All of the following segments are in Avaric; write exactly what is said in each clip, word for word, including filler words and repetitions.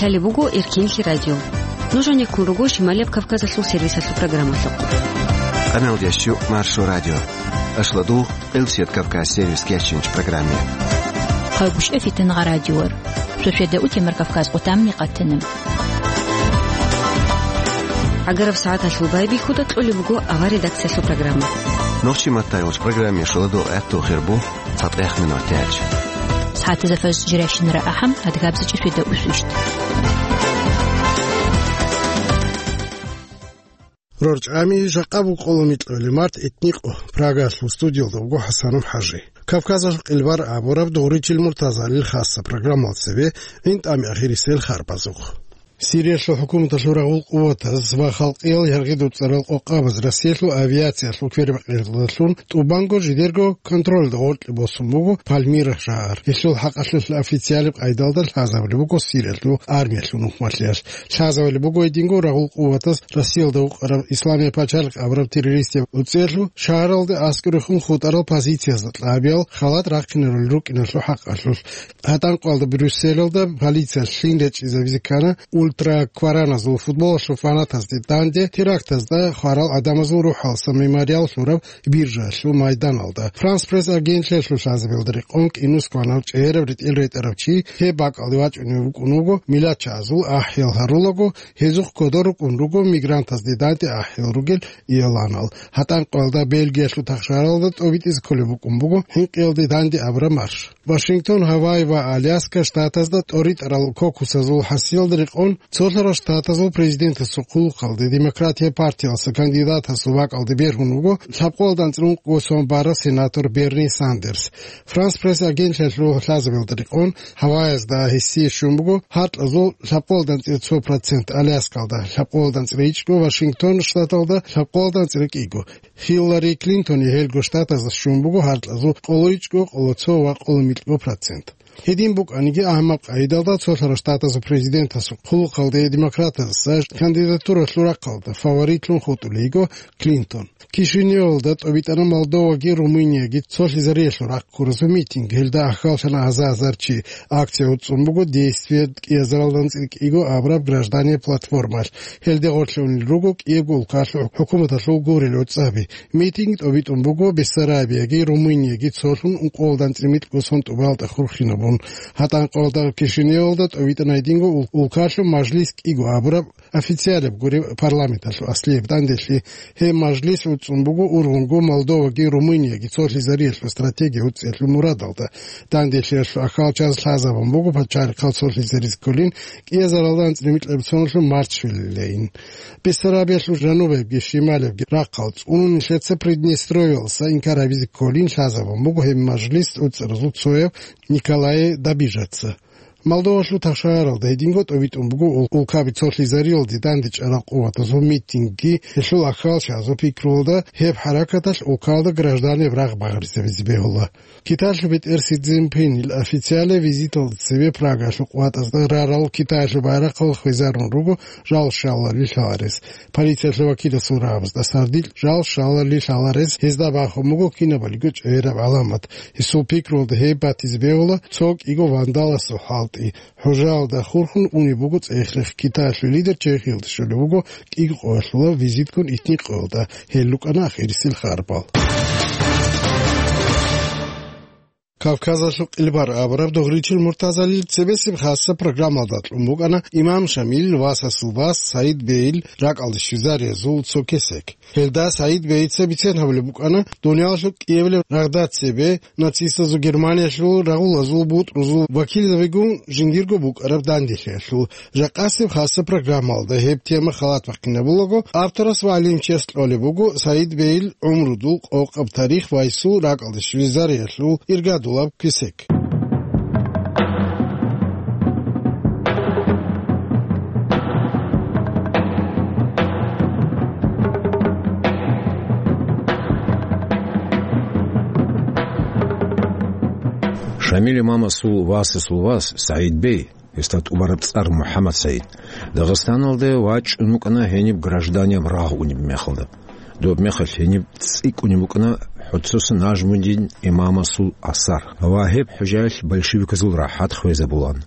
Гьале буго Эркинлъи радио. Нуж гьанеккун руго Шималияб Кавказалъул сервисалъул программалъухъ. Къамелдеш чу Маршо радио. Ашладу Къилсият Кавказ сервис кечинч программе. Хъайгущ эфитан гъа радиор. Шошеда утемар Кавказ къутамни къатана. Агараб сагӀаталъул байбихьуда кьолеб буго авар редакциялъул программа. Нохчи маттайгъуч программе шуладу гӀатту хирбу. ЦатӀех минутач. СагӀатазда фаз жирашинара ахӀам, адгабза чӀишведа усвищт. РорчӀами жакъа букъула микьули март итникъо. Прагалъул студиялда вуго ХӀасанов ХӀажи. Кавказалъ къилбар абураб дугъричил Муртазалил хасса программал цебе гӀинтӀами ахирисел харбазухъ. Сириялъул хӀукуматалъул рагъул къуватаз ва халкъиял яргъи дуцӀарал къокъабаз Россиялъул авиациялъул квербакъиялдалъун тӀубанго жидерго контролда гъоркье босун буго Пальмира шагьар. Гьелъул хӀакъалъулъ официалиб къайдалда лъазабулеб буго Сириялъул армиялъул нухмалъиялъ. Лъазабулеб буго гьединго рагъул къуватаз Россиялда вукъараб Исламияб пачалихъ абураб террористияб уцӀелъул шагьаралде аскӀорехун хутӀарал позициязда кьабиял халат рахъинарулел рукӀиналъул хӀакъалъулъ. ГьатӀанкъоялда Брюсселалда полициялъ лъим речӀчӀизабизе ккана ультраквараназул футболалъул фанатазде данде терактазда хварал гӀадамазул рухӀалса мемориал лъураб биржаялъул майданалда. Франс Пресс агентлъиялъул лъазабиялда рекъон кӀинус кванав чӀегӀераб ретӀел ретӀарав чи гьеб бакӀалде вачӀунев вукӀун вуго милачагӀазул ахӀиял гьарулаго, гьезухъ кодор рукӀун руго мигрантазде данде ахӀиял ругел ияланал. ГьатӀанкъоялда Бельгиялъул тахшаралда тӀобитӀизе кколеб букӀун буго хӀинкъиялде данде абураб марш. Вашингтон, Гавайи ва Аляска штатазда тӀоритӀарал кокусазул хӀасиялда рекъон цолъарал штатазул президентасул хъулухъалде Демократия партиялса кандидатасул бакӀалде бергьун вуго лъабкъоялда анцӀила ункъго сон бараб сенатор Берни Сандерс. Франс Пресс агентлъиялъул лъазабиялда рекъон Гавайязда гьесие щун буго гьаркьазул лъабкъоялда анцӀила цо процент, Аляскалда лъабкъоялда анцӀила ичӀго, Вашингтон штаталда лъабкъоялда анцӀила кӀиго. Хиллари Клинтони гьелго штатазда щун буго гьаркьазул къолоичӀго, къолоцо ва къоломикьго процент. Гьедин букӀаниги, гьаниб къайдалда цолъарал штатазул президентасул хъулухъалде демократазаса кандидатуралъул рахъалда фаворитлъун хутӀулей йиго Клинтон. Кишиневалда тӀобитӀана Молдоваги Румынияги цолъизариялъул рахъ ккуразул митинг. Гьелда ахьаллъана гьаза-гьазар чи. Акция уцӀцӀун буго действият кӀиазаралда анцӀила кӀиго абураб граждане платформалъ. Гьелде гъорлъунел руго кӀиябго улкалъул хӀукуматалъул гурел гӀуцӀаби. Митинг тӀобитӀун буго Бессарабияги Румынияги цолъун ункъоялда анцӀила микьго сон тӀубалда хурхинабун. ГьатӀанкъоялда Кишиневалда тӀобитӀана гьединго ул-, улкалъул мажлис кӀиго абураб официалаб гуреб парламенталъул аслияб данделъи. Гьеб мажлис уцӀцӀун буго ургъунго Молдоваги Румынияги цолъизариялъул стратегия уцӀцӀиялъул мурадалда. Данделъиялъул ахьалчаз лъазабун буго пачалихъал цолъизаризе кколин кӀиазаралда анцӀила микьаб соналъул Марчвилилейин. Бессарабиялъул жанубаябги шималабги рахъал цӀунун нилъеца Приднестровьялса инкар гьабизе кколин лъазабун буго гьеб мажлис уцӀцӀаразул цояв Николай Добижаца. Молдовалъул тахшагьаралда гьединго тӀобитӀун буго ул-, улкаби цолъизариялде дандечӀарал къуватазул митингги, гьелъул ахьалчазул пикруялда гьеб хӀаракаталъ улкалда гражданеб рагъ багъаризабизе бегьула. Китаялъул бетӀер Си Цзиньпинил официалаб визиталда цебе Прагалъул къватӀазда рарал Китаялъул байрахъал хвезарун руго жал щалалил лъаларес. Полициялъул вакиласул рагӀабазда сардилъ жал щалалил лъаларес гьезда бахун буго кинабалиго чӀегӀераб гӀаламат. Гьесул пикруялда гьеб батизе бегьула цо кӀиго вандаласул хӀалтӀи. ХӀужаялда хурхун унеб буго цӀех-рех. Китаялъул лидер Чехиялде щолеб буго кӀиго къоялъула визитккун итникъоялда. Гьел рукӀана ахирисел харбал. Кавказалъул къилбар абураб дугъричил Муртазалил цебесеб хасса программалда кьун букӀана имам Шамил васасул вас Саид бейил ракӀалде щвезариязул цо кесек. Гьелда Саид бейица бицен гьабулеб букӀана дуниялалъул кӀиабилеб рагъда цебе нацистазул Германиялъул рагъулазул бутӀрузул вакилзабигун жиндирго букӀараб данделъиялъул. Жакъасеб хасса программалда гьеб тема халат бахъинабулаго, авторас ва гӀалимчияс кьолеб буго Саид бейил гӀумрудул къокъаб тарих ва гьесул ракӀалде щвезариялъул иргадулаб кесек. Шамил имамасул васасул вас Саид бей, гьесда тӀубараб цӀар МухӀаммад Саид, Дагъистаналде вачӀун вукӀана гьениб гражданияб рагъ унеб мехалда. Доб мехалъ гьениб цӀикӀкӀунеб букӀана гӀуццуса Нажмудин имамасул асар ва гьеб хӀужаялъ большевиказул рахӀат хвезабулан.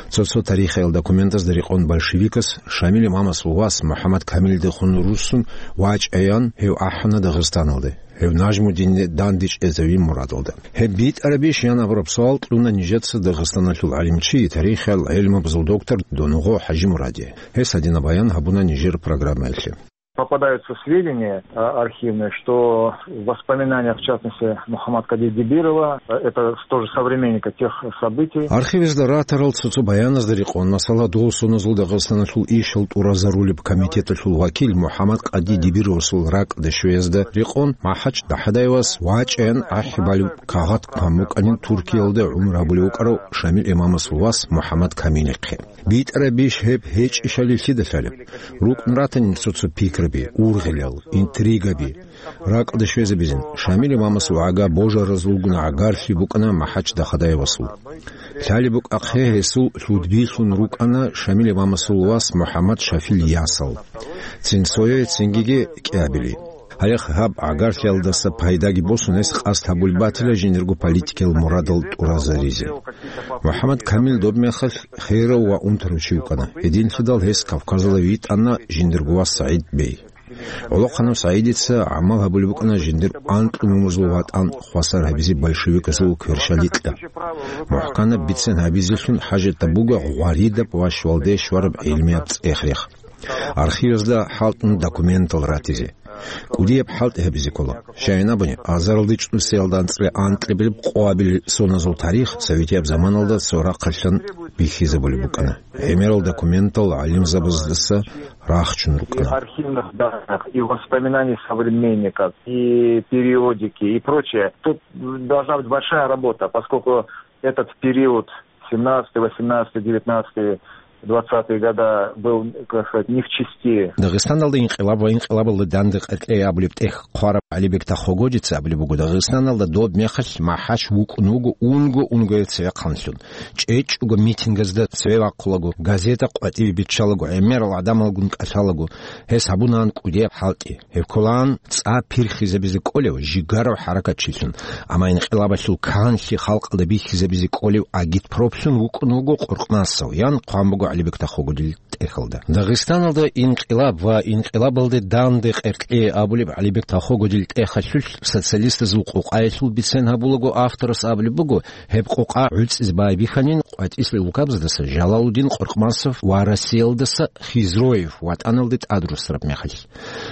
Цо-цо тарихиял документазда рекъон большевикас Шамил имамасул вас МухӀаммад Камилдехун руссун вачӀаян гьев ахӀана Дагъистаналде, гьев Нажмудинде дандечӀезавин мурадалда. Гьеб битӀарабищ ян абураб суал кьуна нижеца Дагъистаналъул гӀалимчи, тарихиял гӀелмабазул доктор Донугъо ХӀажимураде. Гьес гьадинаб баян гьабуна нижер программаялъе. Попадаются сведения, а, архивные, что в воспоминаниях, в частности, Мухаммад Кади Дибирова, э, это тоже современника тех событий. Архивазда ратарал цо-цо баяназда рекъон, масала, дол соназул Дагъистаналъул ишал тӀуразарулеб комитеталъул вакил Мухаммад Кади Дибировасул ракӀалде щвеязда рекъон, МахӀач ДахӀадаевас вачӀаян ахӀи балеб кагъат хъван букӀанин Туркиялда гӀумру гьабулев вукӀарав Шамил имамасул вас Мухаммад Камилихъе. БитӀарабищ гьеб гьечӀищали лъида лъалеб? РукӀун ратани цо-цо пикраби, ургъилал, интригаби. РакӀалде щвезабизин, Шамил имамасул гӀага божаразулгун гӀагарлъи букӀана МахӀач ДахӀадаевасул. Лъалеб букӀахъе гьесул лъудбилъун рукӀана Шамил имамасул вас МухӀаммад Шафил ясал. Цин цое, цингиги кӀиабили. Гьале гьаб гӀагарлъиялдаса пайдаги босун, гьес къасд гьабулеб батила жиндирго политикиял мурадал тӀуразаризе. МухӀаммад Камил доб мехалъ херав ва унтарав чи вукӀана. Гьединлъидал гьес Кавказалде витӀана жиндирго вас СагӀид бей. ГӀолохъанав СагӀидица гӀамал гьабулеб букӀана жиндир анкьнумазул ватӀан хвасар гьабизе большевиказул кверщаликьа. МухӀканаб бицен гьабизелъун хӀажатаб буго гъваридаб ва щвалде щвараб гӀилмияб цӀех-рех. Архивазда хӀалтӀун документал ратизе. КӀудияб хӀалтӀи гьабизе ккола. Щайин абуни, азаралде чӀусиялда анцӀила анкьабилеб къоабил соназул тарих советияб заманалда цо рахъалъан бихьизабулеб букӀана. ГӀемерал документал гӀалимзабаздаса рахчун И рукӀана. Архивных данных, и воспоминаний современников, и периодики, и прочее. Тут должна быть большая работа, поскольку этот период, семнадцатый, восемнадцатый, девятнадцатый, двадцатые года, был, как сказать, не в чести. Дагъистаналда инкъилаб ва инкъилабалда данде къеркьей абулеб тӀех хъвараб ГӀалибек Тахогодица абулеб буго, Дагъистаналда доб мехалъ МахӀач вукӀун вуго унго-унгояв цевехъанлъун. ЧӀечӀого митингазда цеве вахъулаго, газета къватӀиве биччалаго, гӀемерал гӀадамалгун кӀалъалаго, гьес гьабунаан кӀудияб хӀалтӀи. Гьеб кколаан цӀа пирхизабизе кӀолев жигарав хӀаракатчилъун, амма инкъилабалъул канлъи халкъалда бихьизабизе кӀолев агитпроплъун вукӀун вуго Къуркъмасов, ян хъван буго ГӀалибек Тахогодил тӀехьалда. Дагъистаналда инкъилаб ва инкъилабалде данде къеркьей абулеб ГӀалибек Тахогодил тӀехьалъулъ социалистазул къукъаялъул бицен гьабулаго авторас абулеб буго, гьеб къукъа гӀуцӀизе байбихьанин къватӀислъи лукабаздаса Жалалудин Къуркъмасов ва Россиялдаса Хизроев ватӀаналде тӀадрусараб мехалъ.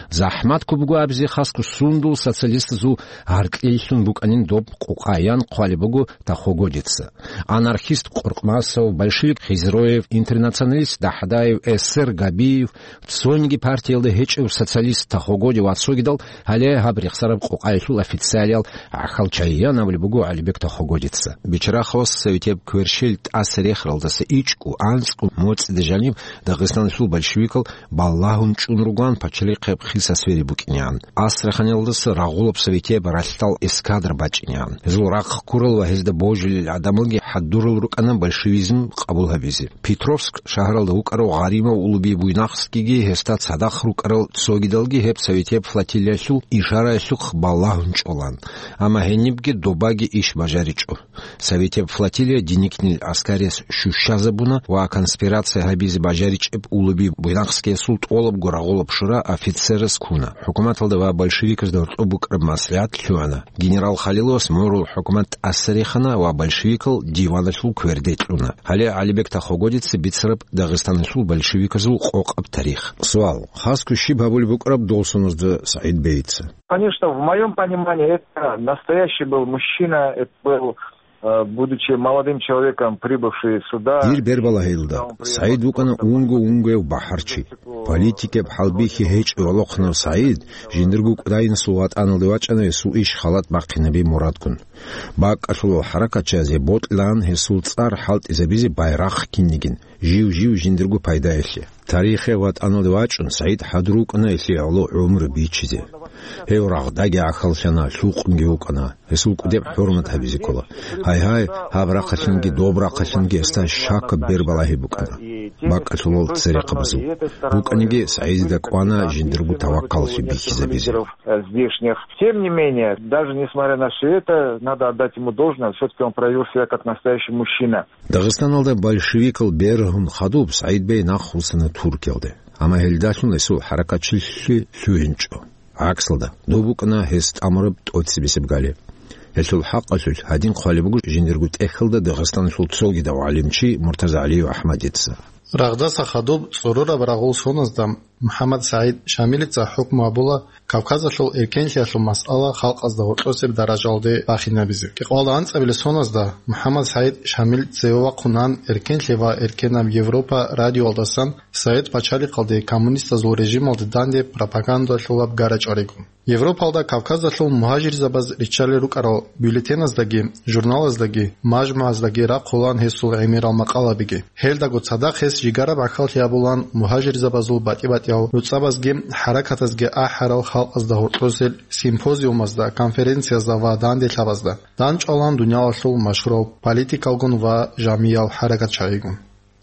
ЗахӀмат ккун буго абизе хасго сундул социалистазул гьаркьлъилъун букӀанин доб къукъа, ян хъвалеб буго Тахогодица. Анархист Къуркъмасов, большевик Хизроев, интернационалист ДахӀадаев, эсер Габиев, цониги партиялда гьечӀев социалист Тахогоди ва цогидал гьале гьаб рехсараб къукъаялъул официалиял гӀахьал чайян абулеб буго ГӀалибек Тахогодица. Бичарахъалас советияб кверщел тӀаса рехаралдаса ичӀго, анцӀго моцӀида жаниб Дагъистаналъул большевикал балагьун чӀун ругоан пачалихъе хиса сфери букӀинегӀан. Астраханиялдаса рагъулаб советияб ралъдал эскадра бачӀинегӀан. Гьезул рахъ ккурал ва гьезда божилел гӀадамалги хӀадурал рукӀана большевизм къабул гьабизе. Петровск шагьаралда вукӀарав Гъаримов Улуби Буйнакскиги гьесда цадахъ рукӀарал цогидалги гьеб советияб флотилиялъул ишараялъухъ балагьун чӀолан. Амма гьенибги добаги иш бажаричӀо. Советияб флотилия Деникинил гӀаскарияс щущазабуна ва конспирация гьабизе бажаричӀеб Улуби Буйнакскиясул тӀолабго рагъулаб шура офицерас ккуна. ХӀукуматалда ва большевиказда гьоркьоб букӀараб маслигӀат лъугӀана. Генерал Халиловас морул хӀукумат тӀаса рехана ва большевикал диваналъул кверде кьуна. Гьале ГӀалибек Тахогодица бицараб Дагъистаналъул большевиказул къокъаб тарих. Суал: хасго щиб гьабулеб букӀараб дол соназда СагӀид бейица? Конечно, в моём понимании это настоящий был мужчина, это был, э, будучи молодым человеком, прибывший сюда. Дир бербалагьилда, СагӀид вукӀана унго-унгояв бахӀарчи. Политикаб хӀалбихьи гьечӀев гӀолохъанав СагӀид жиндирго кӀудайнасул ватӀаналде вачӀана гьесул иш халат бахъинаби мурадгун. БакӀалъулал хӀаракатчиязе бокьилаан гьесул цӀар хӀалтӀизабизе байрахъ кинигин, жив-жив жиндирго пайдаялъе. Тарихияб ватӀаналде вачӀун, СагӀид хӀадур вукӀана гьелъие гӀоло гӀумру бичизе. Гьев рагъдаги гӀахьаллъана, лъукъунги вукӀана. Гьесул кӀудеб хӀурмат гьабизе ккола. Гьай-гьай, гьаб рахъалъанги доб рахъалъанги гьесда щакаб бербалагьи букӀана. бакӀалъулал церехъабазул. БукӀаниги, СагӀидида кӀвана жиндирго таваккаллъи бихьизабизе. Здешних. Тем не менее, даже несмотря на всё это, надо отдать ему должное, всё-таки он проявил себя как настоящий мужчина. Дагъистаналда большевикал бергьун хадуб СагӀид бей нахъвуссана Туркиялде. Амма гьелдалъун гьесул хӀаракатчилъи лъугьинчӀо. ГӀаксалда, доб букӀана гьес тӀамураб тӀоцебесеб гали. Гьелъул хӀакъалъулъ гьадин хъвалеб буго жиндирго тӀехьалда Дагъистаналъул цогидав гӀалимчи Муртазагьалиев АхӀмадица. Рагъдаса хадуб цӀорораб рагъул соназда МухӀаммад СагӀид Шамилица хӀукму гьабула Кавказалъул эркенлъиялъул масъала халкъазда гьоркьосеб даражалде бахинабизе. Кьикъоялда анцӀабилеб соназда МухӀаммад СагӀид Шамил цеве вахъунан, эркенлъи ва эркенаб Европа радиоялдасан Совет пачалихъалде коммунистазул режималде данде пропагандалъулаб гара чӀваригун. Европалда Кавказалъул мугьажирзабаз риччалел рукӀарал бюллетеназдаги, журналаздаги, мажмугӀаздаги рахъулаан гьесул гӀемерал макъалабиги. Гьелдаго цадахъ гьес жигараб гӀахьаллъи гьабулаан мугьажирзабазул батӀи-батӀиял гӀуцӀабазги хӀаракатазги ахӀарал халкъазда гьоркьосел симпозиумазда, конференциязда ва данделъабазда. ДандчӀвалаан дуниялалъул машгьурал политикалгун ва жамиял хӀаракатчагӀигун.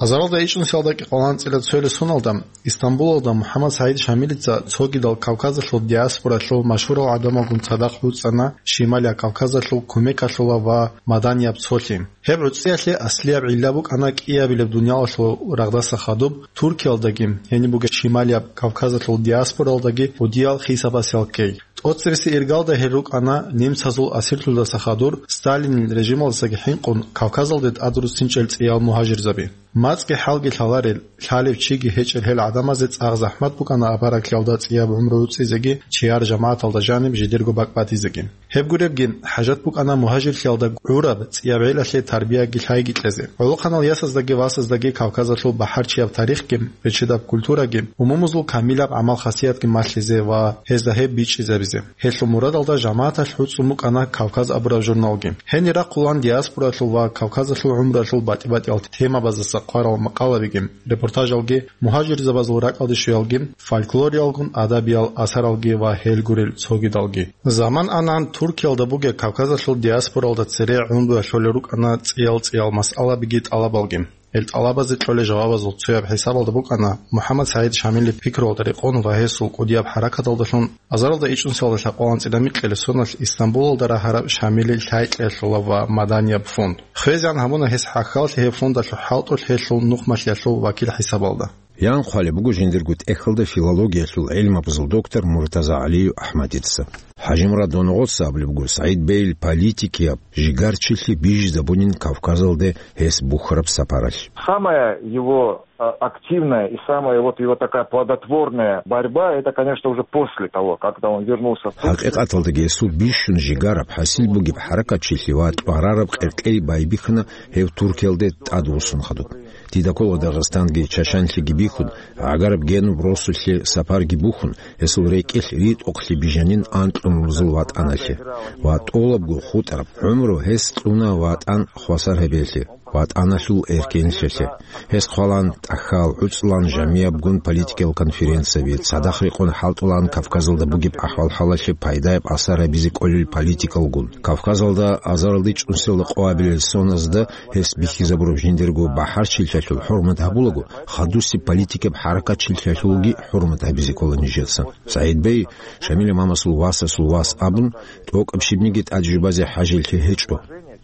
Азаралда ичӀнусиялда кӀикъоялда анцӀила цоялъ соналда Истамбулалда МухӀаммад СагӀид Шамилица цогидал Кавказалъул диаспоралъул машгьурал гӀадамалгун цадахъ гӀуцӀана Шималияб Кавказалъул кумекалъулаб ва маданияб цолъи. Гьеб гӀуцӀиялъе аслияб гӀилла букӀана кӀиабилеб дуниялалъул рагъдаса хадуб Туркиялдаги, гьениб бугеб Шималияб Кавказалъул диаспоралдаги кӀудиял хисабасел ккей. ТӀоцебесеб иргалда гьел рукӀана немцазул асирлъуздаса хадур Сталинил режималдасаги хӀинкъун Кавказалде тӀадруссинчӀел цӀиял мугьажирзаби. МацӀги хӀалги лъаларел, лъалев чиги гьечӀел гьел гӀадамазе цӀакъ захӀмат букӀана авараглъиялда цӀияб гӀумру гӀуцӀизеги, чияр жамагӀаталда жаниб жидерго бакӀ батизеги. Гьеб гуребги, хӀажат букӀана мугьажирлъиялда гӀураб цӀияб гӀелалъе тарбияги лъайги кьезе. ГӀолохъанал ясаздаги васаздаги Кавказалъул бахӀарчияб тарихги, реччидаб культураги, умумузул камилаб гӀамал-хасиятги малъизе ва гьезда гьеб бичӀчӀизабизе. Гьелъул мурадалда жамагӀаталъ гӀуцӀун букӀана Кавказ абураб журналги. Гьенир рахъулаан диаспоралъул ва Кавказалъул гӀумруялъул батӀи-батӀиял темабаздаса хъварал макъалабиги, репортажалги, мугьажирзабазул ракӀалде щвеялги, фольклориялгун адабиял асаралги ва гьел гурел цогидалги. Заман ан-ан Туркиялда бугеб Кавказалъул диаспоралда цере гӀумруялъулел рукӀана цӀиял-цӀиял масъалабиги тӀалабалги. Гьел тӀалабазе кьолел жавабазул цояб хӀисабалда букӀана МухӀаммад СагӀид Шамилил пикруялда рекъон ва гьесул кӀудияб хӀаракаталдалъун азаралда ичӀнусиялда лъабкъоялда анцӀила микьилеб соналъ Истамбулалда рагьараб Шамилил лъайкьиялъулаб ва маданияб фонд. ХвезегӀан гьабуна гьес хӀахьаллъи гьеб фондалъул хӀалтӀулъ гьелъул нухмалъиялъул вакил хӀисабалда. Ян хъвалеб буго жиндирго тӀехьалда филологиялъул гӀилмабазул доктор Муртазагьалиев АхӀмадица. ХӀажимурад Доногъоца абулеб буго СагӀид бейил политикияб жигарчилъи бижизабунин Кавказалде гьес бухьараб сапаралъ. Самая его, а, активная и самая вот его такая плодотворная борьба, это, конечно, уже после того, когда он вернулся в Турцию. ХӀакъикъаталдаги гьесул бищун жигараб, хӀасил бугеб хӀаракатчилъи ва тӀварараб къеркьей байбихьана гьев Туркиялде тӀадвуссун хадуб. Дида ккола Дагъистанги Чачанлъиги бихьун, гӀагараб генуб росулъе сапарги бухьун, гьесул рекӀелъ ритӀухълъи бижанин анкьнурзул ватӀаналъе. Ва тӀолабго хутӀараб гӀумру гьес кьуна ватӀан хвасар гьабиялъе, ватӀаналъул эркенлъиялъе. Гьес хъвалан тӀахьал, гӀуцӀлъан жамиябгун политикиял конференцияби, цадахъ рекъон хӀалтӀулан Кавказалда бугеб ахӀвал-хӀалалъе пайдаяб асар гьабизе кӀолел политикалгун. Кавказалда азаралда ичӀнусиялда къоабилел соназда гьес бихьизабураб жиндирго бахӀарчилъиялъул хӀурмат гьабулаго, хадусеб политикаб хӀаракатчилъиялъулги хӀурмат гьабизе ккола нижеца. СагӀид бей Шамилил имамасул васасул вас абун, тӀокӀаб щибниги тӀад жубазе хӀажилъи гьечӀо.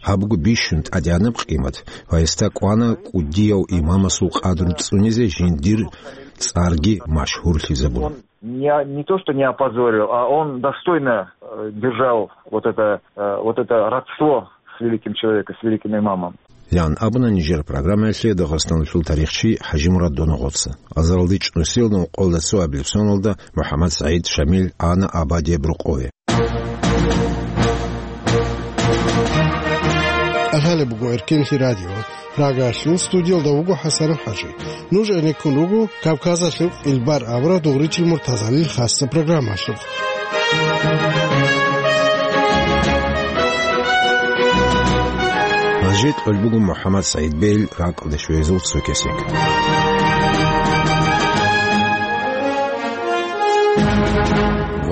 Гьаб буго бищун тӀадегӀанаб къимат ва гьесда кӀвана кӀудияв имамасул къадру цӀунизе жиндир цӀарги машгьурлъизабун. Не, не то, что не опозорил, а он достойно, э, держал вот это, э, вот это родство с великим человеком, с великим имамом. Ян абуна нижер программаялъе Дагъистаналъул тарихчи ХӀажимурад Доногъоца. Азаралда ичӀнусиялда ункъоялда цоабилеб соналда МухӀаммад СагӀид Шамил ана абадияб рокъове. Лъалеб буго Эркенлъи радио. Прагаялъул студиялда вуго ХӀасан ХӀажи. Нуж гӀенеккун руго Кавказалъул къилбар абураб дугъричил Муртазалил хасса программалъухъ. Гьанже кьолеб буго МухӀаммад СагӀид бегьил ракӀалде щвезул цо кесек.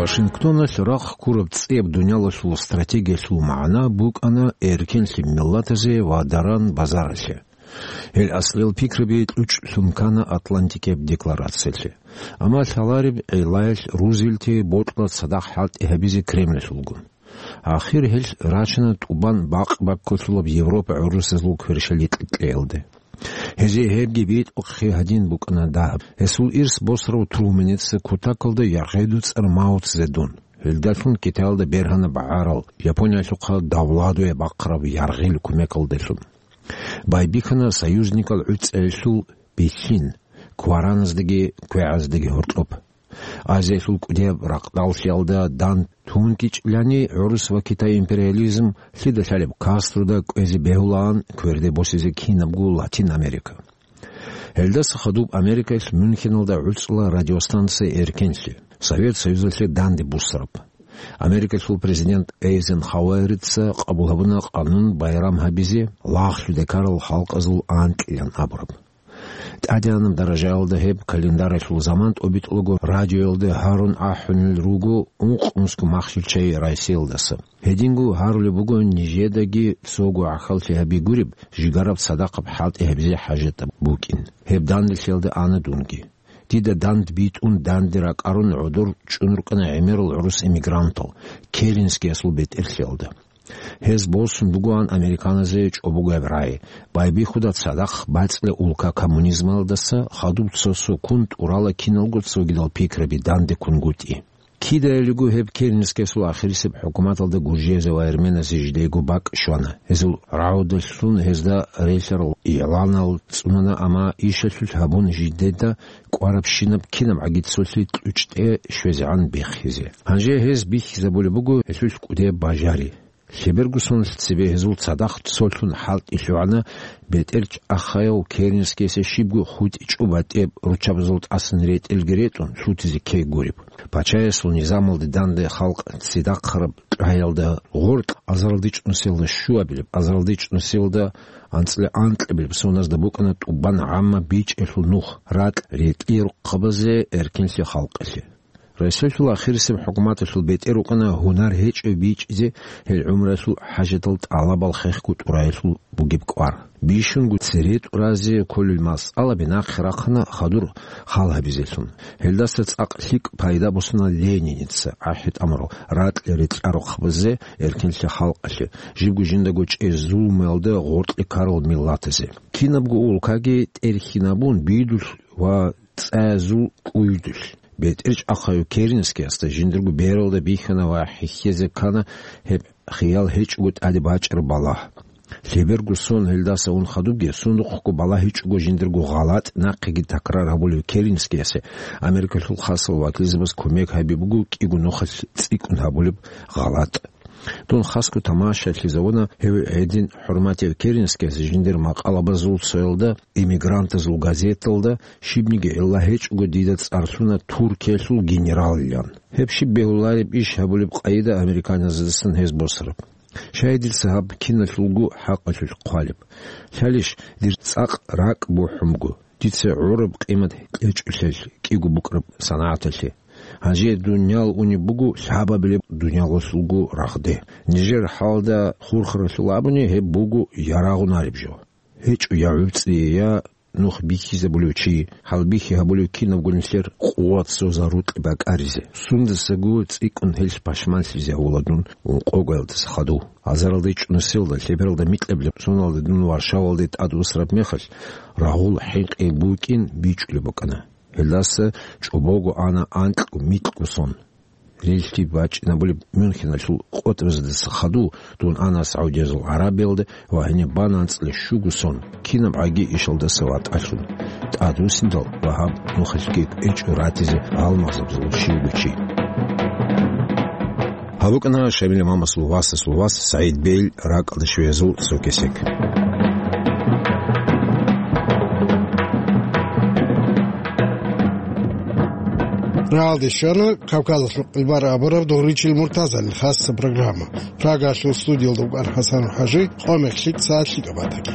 Вашингтоналъ рахъ ккураб цӀияб дуниялалъул стратегиялъул магӀна букӀана эркенлъи миллатазе ва даран базаралъе. Гьел аслиял пикраби кьучӀлъун ккана Атлантикияб декларациялъе. Амма лъалареб гӀиллаялъ Рузвельтие бокьула цадахъ хӀалтӀи гьабизе Кремлалъулгун. Ахир гьелъ рачана тӀубан бакъ-баккулъулаб Европа гӀурусазул кверщаликь кьеялде. Гьезие гьебги битӀухъе гьадин букӀана дагьаб. Гьесул ирс босарав Труменица кутакалда яргъеду цӀар Мао Цзедун. Гьелдалъун Китаялда бергьана багӀарал, Япониялъухъа давладуе бахъараб яргъил кумекалдалъун. Байбихьана союзникал гӀуцӀиялъул бихьин, квараназдаги квегӀаздаги гьоркьоб. Азиялъул кӀудияб ракъдаллъиялда дандун кӀичӀлъани, гӀурус ва Китай империализм лъида лъалеб Кастрода кӀвезе бегьулаан кверде босизе кинабго Латин Америка. Гьелдаса хадуб Америкаялъ Мюнхеналда гӀуцӀула радиостанция «Эркенлъи», Совет Союзалъе данде буссараб. Америкалъул президент Эйзенхауэрица къабул гьабуна къанун байрам гьабизе лагълъуде ккарал халкъазул анкьилан абураб. ТӀадегӀанаб даражаялда гьеб календаралъул заман тӀобитӀулаго радиоялда гьарун ахӀунел руго ункъ-мусго махщел чагӀи Россиялдаса. Гьединго гьарулеб буго нижедаги цого гӀахьаллъи гьаби гуреб, жигараб цадахъаб хӀалтӀи гьабизе хӀажатаб букӀин. Гьеб данделъиялда ана дунги. Дида данде битӀун данде ракӀарун гӀодор чӀун рукӀана гӀемерал гӀурус эмигрантал, Керенскиясул бетӀерлъиялда. Гьез босун бугоан американазе чӀобогояб рагӀи, байбихьуда цадахъ бацӀцӀила улка коммунизмалдаса хадуб цо-цо ккун тӀурала киналго цогидал пикраби данде ккунгутӀи. Кидайилго гьеб Керенскиясул ахирисеб хӀукуматалда гуржиязе ва эрменазе жидейго бакӀ щвана. Гьезул рагӀудалъун гьезда релълъарал игӀланал цӀунана, амма ишалъулъ гьабун жидеда кӀварабщинаб кинабгӀаги цолъи кьучӀде щвезегӀан биххизе. Гьанже гьез бихьизабулеб буго гьелъулъ кӀудеб бажари. Лъеберго сонлъ цебе гьезул цадахъ цолъун хӀалтӀи лъугӀана бетӀер чӀахъаяв Керенскиясе щибго хутӀичӀо батӀияб руччабазул тӀасан ретӀелги ретӀун лъутизе ккей гуреб. Пачаясул низамалде данде халкъ цидахъараб кьаялда гъоркь азаралдичӀнусиялда щуабилеб, азаралдичӀнусиялда анцӀила анкьабилеб соназда букӀана тӀубан гӀамма бичӀчӀиялъул нух, ракь ретӀлияб рухъабазе эркенлъи халкъалъе. Росиялъул ахирисеб хӀукуматалъул бетӀер рукӀана гьунар гьечӀев бичӀчӀизе гьел гӀумруялъул хӀажатал тӀалабал хехго тӀураялъул бугеб кӀвар. Бищунго цере тӀуразе кколел масъалаби нахъе рахъана хадур хал гьабизелъун. Гьелдаса цӀакъ лъикӀ пайда босана Лениница ахӀи тӀамурал ракь ретӀлъарухъ базе эркенлъи халкъалъе, жибго жиндаго чӀезул муялда гъоркье ккарал миллатазе. Кинабго улкаги тӀерхьинабун бидулъ ва цӀаязул кӀуйдулъ. БетӀер чӀахъав Керенскиясда жиндирго бералда бихьана ва хӀехьезе ккана гьеб хиял гьечӀого тӀаде бачӀараб балагь. Лъеберго сон гьелдаса ун хадубги, сундухъго балагьичӀого жиндирго гъалатӀ нахъеги такрар гьабулев Керенскиясе Америкалъул хасал вакилзабаз кумек гьаби буго кӀиго нухалъ цӀикӀкӀун гьабулеб гъалатӀ. Дун хасго тамашалъизавуна гьев гьедин хӀурматияв Керенскияс жиндир макъалабазул цоялда, эмигрантазул газеталда, щибниги гӀилла гьечӀого дида цӀарлъуна Туркиялъул генералилан. Гьеб щиб бегьулареб иш гьабулеб къайда американазедасан гьез босараб. Щай дица гьаб киналъулго хӀакъалъулъ хъвалеб? Лъалищ, дир цӀакъ ракӀ бухӀун буго. Дица гӀураб къимат кьечӀолъил кӀиго букӀараб санагӀаталъе. Гьанже дуниял унеб буго лъабабилеб дуниялалъулго рагъде. Нижер хӀалда хурхаралъул абуни, гьеб буго ярагъунареб жо. ГьечӀо я гӀуцӀи, я нух бихьизабулев чи, хӀалбихьи гьабулев кинабго нилъер къуват цо зарукьи бакӀаризе. Сундасаго цӀикӀкӀун гьелъ пашманлъизе гьавула дун ункъогоялдаса хадув. Азаралда ичӀнусиялда, лъебералда микьабилеб соналда дун Варшавалде тӀад усараб мехалъ, рагъул хӀинкъи букӀин бичӀчӀулеб букӀана. Гьелдаса чӀобого ана анкьго-микьго сон. Релълъи бачӀинабулеб Мюнхеналъул къотӀразедаса хадув дун ана Саудиязул ГӀарабиялда ва гьениб бана анцӀила щуго сон, кинабгӀаги ишалдаса ватӀалъун. ТӀадвуссиндал ва гьаб нухалъги кӀвечӀо ратизе гьалмагъзабазул щивго чи. Гьаб букӀана Шамил имамасул васасул вас СагӀид Бейл ракӀалда щвеязул цо кесек. Рагьалде щвана Кавказалъул къилбар абураб Дугъричил Муртазалил хасса программа. Прагалъул студиялда вукӀана ХӀасан ХӀажи, къо-мех лъикӀ, сагӀат лъикӀаб батаги.